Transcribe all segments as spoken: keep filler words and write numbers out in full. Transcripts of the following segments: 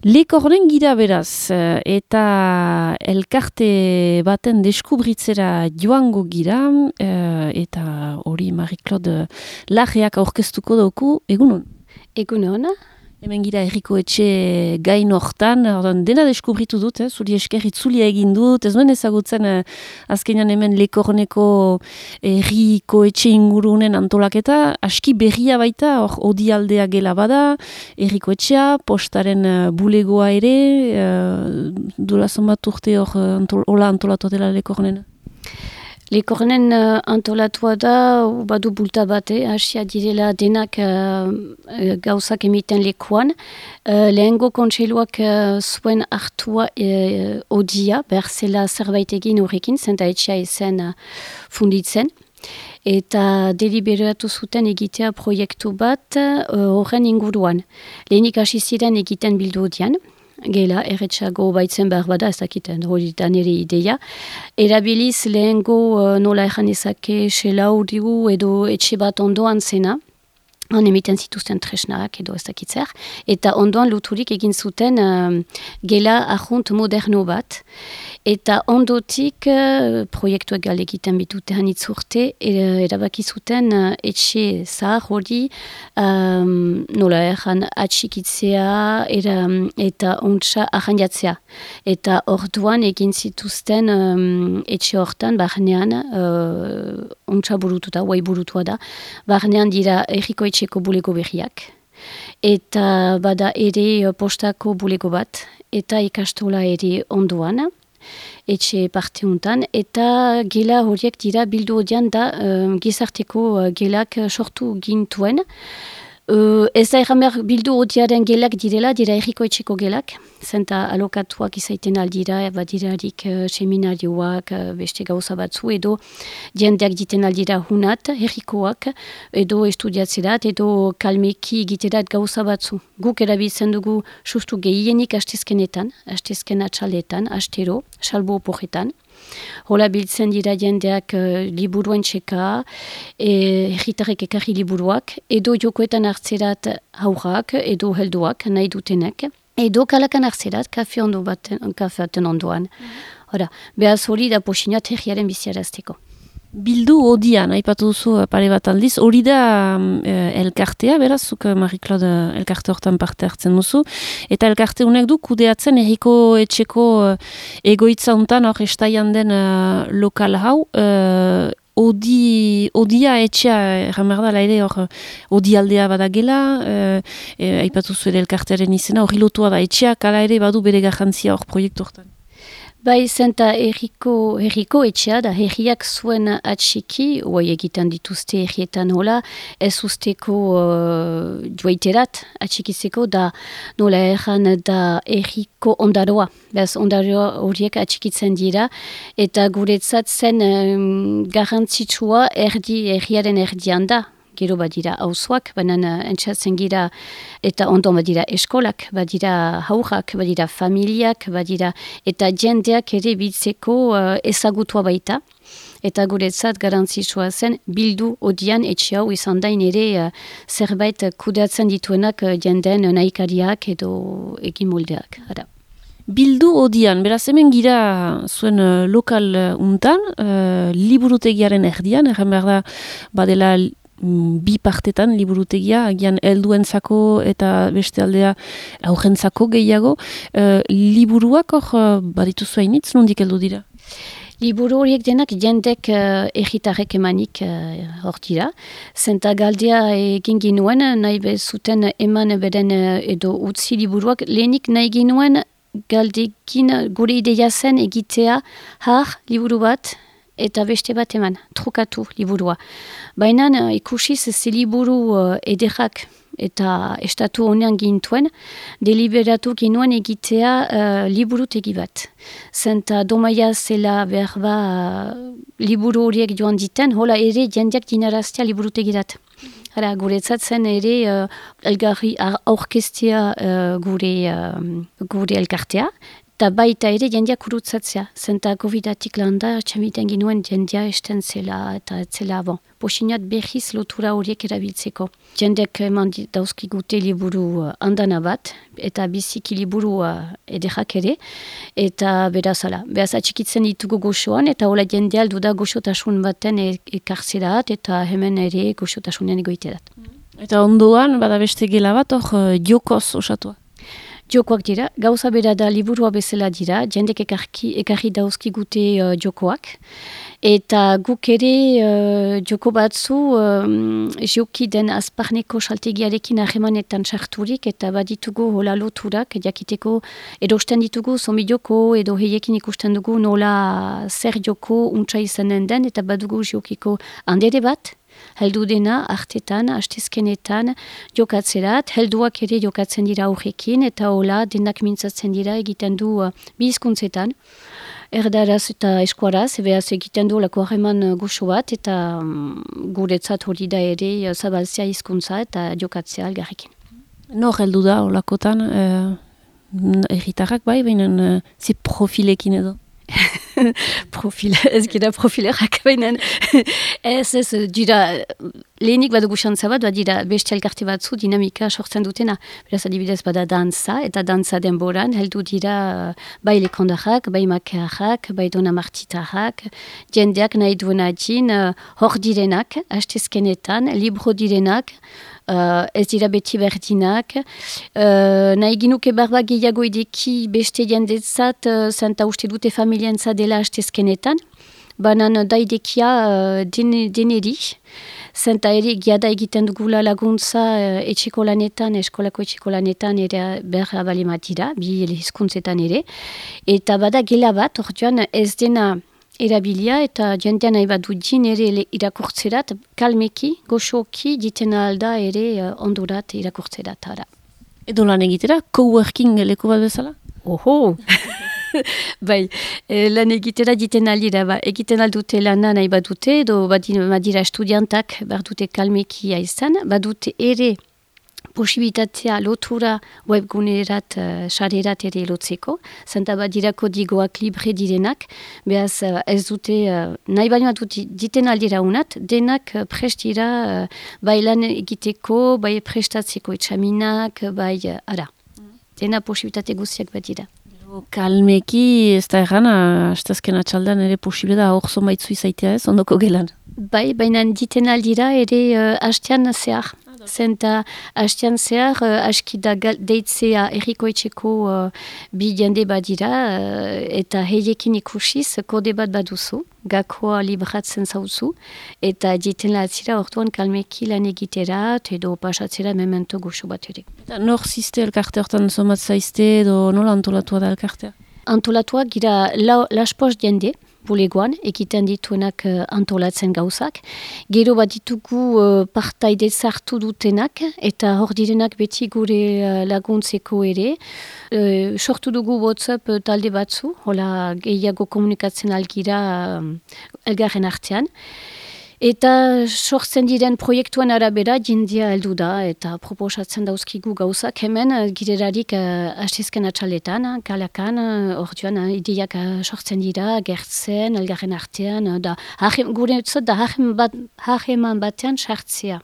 Lekornen gira beraz, eta elkarte baten deskubritzera joango gira, eta hori Marie-Claude Larreak aurkeztuko dauku, egunon? Egunon. Hemen gira Herriko Etxe gain hortan, dena deskubritu dut, eh? Zuri esker itzulia egin dut, ez nuen ezagutzen eh, azkenean hemen Lekorneko Herriko Etxe ingurunen antolaketa, aski berria baita, hor odialdea gela bada, Herriko Etxea, postaren uh, bulegoa ere, uh, dola zonbat urte hor uh, antol, hola antolatu dela Lekornen? Lekornen uh, antolatua da, badu bulta bate, hasia direla denak uh, gauzak emiten lekuan. Uh, lehengo kontseiluak uh, zuen hartua uh, odia, behar zela zerbait egin horrekin, zenta etxea ezen uh, funditzen. Eta deliberatu zuten egitea proiektu bat uh, horren inguruan. Lehenik hasi ziren egiten bildu odian. Gela, erretxago baitzen behar bada, ez dakiten, hori da nire ideia. Erabiliz lehengo uh, nola erran ezake selau digu edo etxe bat ondoan zena, han emiten zituzten tresnak edo ez dakitzer, eta ondoan luturik egin zuten uh, gela ahunt moderno bat, eta ondotik uh, proiektuak gale egiten bitute hanitz urte, erabaki zuten uh, etxe zahar hori um, nola erran atxikitzea era, eta ontsa arranjatzea. Eta orduan egin zituzten um, etxe hortan, barnean, uh, ontsa burututa, guai burutua da, barnean dira Herriko Etxeko bulego berriak, eta bada ere postako bulego bat, eta ikastola ere ondoan, etxe parte untan, eta gela horiek dira bildu odian da um, gizarteko uh, gelak sortu gintuen. Uh, ez da erramer bildu odiaren gelak direla, dira Herriko Etxeko gelak, zenta alokatuak izaiten aldira, badirarik uh, seminarioak, uh, beste gauza batzu, edo jendeak diten aldira hunat, herrikoak, edo estudiatzerat, edo kalmeki egiterat gauza batzu. Guk erabiltzen dugu sustu gehienik hastezkenetan, hastezken atxaletan, astero, salbo oporretan. Hola biltzen dira jendeak uh, liburuen txeka, herritarrek ekarri liburuak, edo jokoetan hartzerat haurrak, edo helduak nahi dutenek, edo kalakan hartzerat kafe ondo baten, kafe baten ondoan. Hora, behaz hori da posinat herriaren biziarazteko. Bildu odian, aipatu duzu pare bat aldiz, hori da eh, elkartea, beraz, zuk Marie-Claude elkarte hortan parte hartzen duzu, eta elkarte honek du kudeatzen Herriko Etxeko eh, egoitza hontan, hor estaian den eh, lokal hau, eh, Odi, odia etxea, erramerdala ere, hor, odialdea badagela, eh, eh, aipatu zu ere elkartearen izena, hori lotua da etxeak, ala ere badu bere garrantzia hor proiektu hortan. Bai, zenta herriko, herriko etxea da herriak zuen atxiki, oai egiten dituzte herrietan hola, ez usteko uh, joaiterat atxikizeko da nola erran da herriko ondaroa. Bez ondaroa horiek atxikitzen dira, eta guretzat zen um, garrantzitsua erdi, herriaren erdian da. Gero badira hauzoak, baina entzatzen gira, eta ondon badira eskolak, badira haurrak, badira familiak, badira, eta jendeak ere biltzeko uh, ezagutua baita. Eta guretzat garantzitsua zen, bildu odian etxe hau izan dain ere uh, zerbait kudeatzen dituenak uh, jendeen nahikariak edo egin moldeak. Ara. Bildu odian, beraz hemen gira zuen uh, lokal uh, untan, uh, liburutegiaren erdian, erren behar da badela bi partetan liburutegia, agian helduentzako eta beste aldea aurrentzako gehiago. Uh, liburuak hor uh, badituzu hainitz, nondik heldu dira? Liburu horiek denak jendek uh, erritarrek emanik hor uh, dira. Zenta galdea egin ginuen, nahi bezuten eman beren uh, edo utzi liburuak, lehenik nahi ginuen galdekin gure ideia zen egitea har liburu bat, eta beste bat eman, trukatu liburua. Baina uh, ikusiz ze liburu uh, ederrak eta estatu honean gintuen, deliberatu ginuen egitea uh, liburutegi bat. Zenta domaia zela behar ba uh, liburu horiek joan diten, hola ere jendeak dinaraztea liburutegirat. Hala, guretzat zen ere uh, elgarri aurkestea uh, gure, uh, gure elkartea, eta baita ere jendia kurutzatzea. Zenta covidatik landa, txamiten ginuen jendia esten zela eta etzela bon. Posinat behiz lotura horiek erabiltzeko. Jendek eman dauzkigute liburu andana bat, eta biziki liburu ederrak ere, eta berazala. Beraz atxikitzen ditugu goxoan, eta hola jendea aldu da goxotasun baten ekartzerat, eta hemen ere goxotasunen egoiterat. Eta ondoan, bada beste gela bat, hor jokoz osatua. Jokoak dira, gauza bera da liburua bezala dira, jendek ekarki, ekarri dauzkigute uh, jokoak. Eta guk ere uh, joko batzu um, joki den azparneko saltegiarekin ahemanetan sarturik eta baditugu hola loturak jakiteko erosten ditugu zombie joko edo heiekin ikusten dugu nola zer joko untsa izanen den eta badugu jokiko handere bat. Heldu dena, artetan, astezkenetan jokatzerat, helduak ere jokatzen dira aurrekin, eta hola denak mintzatzen dira egiten du uh, bi hizkuntzetan, erdaraz eta eskuaraz, beraz egiten du lako harreman goxo bat, eta um, guretzat hori da ere uh, zabaltzea hizkuntza eta jokatzea algarrekin. Nor heldu da holakotan, uh, erritarrak bai, baina uh, zi profilekin edo? Profil, ez gira profilerak bainen. Ez, ez, dira, lehenik badugu xantza bat, dira beste elkarte batzu dinamika sortzen dutena. Beraz adibidez bada dantza, eta dantza denboran, heldu dira bai lekondarrak, bai makearrak, bai donamartitarrak, jendeak nahi duena din, hor direnak, hastezkenetan, libro direnak, Uh, ez dira beti berdinak. Uh, nahi ginuke barba gehiago ideki beste jendetzat, uh, zenta uste dute familientzat dela hastezkenetan. Banan da idekia uh, den, deneri, zenta ere giada egiten dugula laguntza uh, etxeko lanetan, eskolako etxeko lanetan ere berra balimatira, bi hizkuntzetan ere. Eta bada gela bat, orduan ez dena erabilia eta jendean nahi bat dudin ere irakurtzerat, kalmeki, goxoki, ditena alda ere uh, ondurat irakurtzerat. Ara. Edo lan egitera, coworking leku bat bezala? Oho! Bai, e, lan egitera diten aldira, ba, egiten aldute lana nahi bat dute, edo badira estudiantak bat dute kalmeki izan, bat dute ere posibilitatea lotura webgunerat, uh, sarerat ere lotzeko, zenta badirako digoak libre direnak, behaz uh, ez dute, uh, nahi baino dute diten aldira unat, denak uh, prest dira uh, bai lan egiteko, bai prestatzeko etxaminak, bai, uh, ara, dena posibilitate guziak bat dira. Kalmeki ez da erran, astazken atxaldan ere posible da hor zomaitzu izaitea ez, ondoko gelan? Bai, baina diten aldira ere uh, hastean zehar. Zenta hastean zehar, uh, aski da deitzea erriko etxeko uh, bi jende badira uh, eta heiekin ikusiz kode bat baduzu, gakoa libratzen zauzu, eta diten latzira orduan kalmeki lan egiterat edo pasatzera memento goxo bat ere. Eta nor ziste elkarte hortan somat zaizte edo nola antolatua da elkartea? Antolatua gira la, laspoz jende, bulegoan, egiten dituenak uh, antolatzen gauzak. Gero bat ditugu uh, partaide zartu dutenak, eta hor direnak beti gure uh, laguntzeko ere. Uh, sortu dugu WhatsApp uh, talde batzu, hola gehiago komunikatzen algira uh, elgarren artean. Eta sortzen diren proiektuan arabera jendia heldu da eta proposatzen dauzkigu gauzak hemen girerarik uh, astezken atxaletan, kalakan, orduan uh, ideiak uh, sortzen dira, gertzen, elgarren artean, uh, da hajem, gure etzot da hajem bat, hajeman batean sartzea.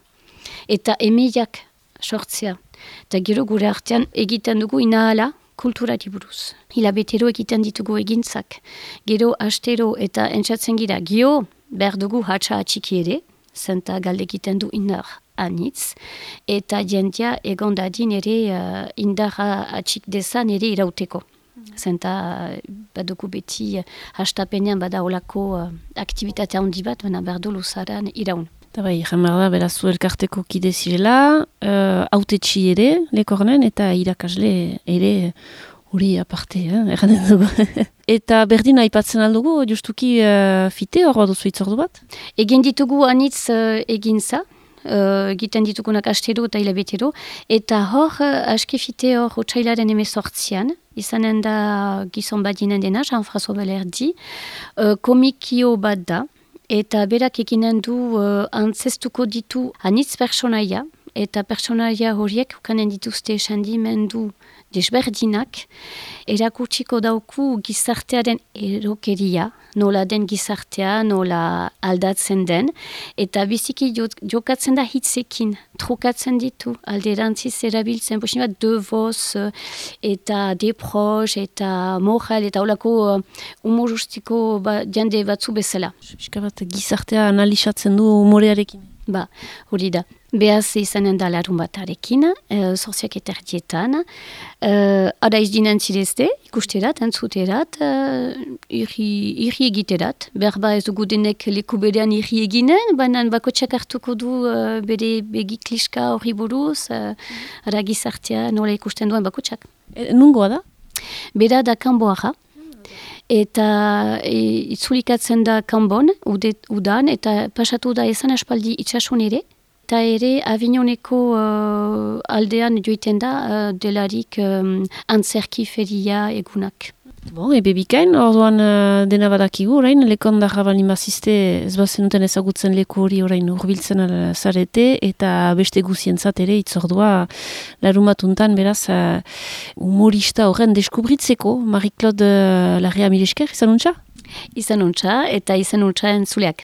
Eta emeiak sortzea. Eta gero gure artean egiten dugu inahala kulturari buruz. Hilabetero egiten ditugu egintzak. Gero astero eta entzatzen gira, gio, behar dugu hatsa atxiki ere, zenta galde egiten du indar anitz, eta jendia egon dadin ere uh, indarra atxik dezan ere irauteko. Zenta uh, badugu beti uh, hastapenean bada olako uh, aktivitate handi bat, baina behar du luzaran iraun. Eta bai, jamar da, beraz zu elkarteko kide zirela, uh, autetxi ere, lekornen, eta irakasle ere hori aparte, eh, erranen dugu. Eta berdin aipatzen aldugu, justuki uh, fite hor baduzu itzordu bat? Egin ditugu anitz uh, egintza, uh, egiten ditugunak astero eta hilabetero, eta hor uh, aski fite hor otsailaren emezortzian, izanen da gizon badinen dena, Jean-François Balerdi, uh, komikio bat da, eta berak eginen du uh, antzestuko ditu anitz personaia, eta personaia horiek ukanen dituzte esandimendu desberdinak, erakutsiko dauku gizartearen erokeria, nola den gizartea, nola aldatzen den, eta biziki jokatzen da hitzekin, trukatzen ditu, alderantziz erabiltzen, posin bat, de voz, eta deprox, eta moral, eta holako uh, humorustiko ba, jende batzu bezala. Pixka bat gizartea analizatzen du humorearekin. Ba, hori da. Behaz izanen da larun batarekin, uh, zorziak eterdietan. Uh, Ada izdinen zirezte, ikusterat, entzuterat, uh, irri, irri egiterat. Berba ez dugu denek leku berean irri eginen, baina bakotxak hartuko du uh, bere begikliska hori buruz, uh, ara gizartea nola ikusten duen bakotxak. E, nungoa da? Bera da kanboara. Eta e, itzulikatzen da kanbon, ude, udan, eta pasatu da ezan aspaldi itxasun ere. Eta ere Avignoneko uh, aldean joiten da uh, delarik um, antzerki feria egunak. Bon, ebe bikain, orduan uh, dena badakigu, orain, lekondarra balin bazizte ez bazenuten ezagutzen leku hori orain urbiltzen zarete, eta beste guzientzat ere itzordua larumatuntan beraz uh, humorista horren deskubritzeko, Marie-Claude uh, Larrea Milesker, izan untxa? Izan untxa, eta izan untxa entzuleak.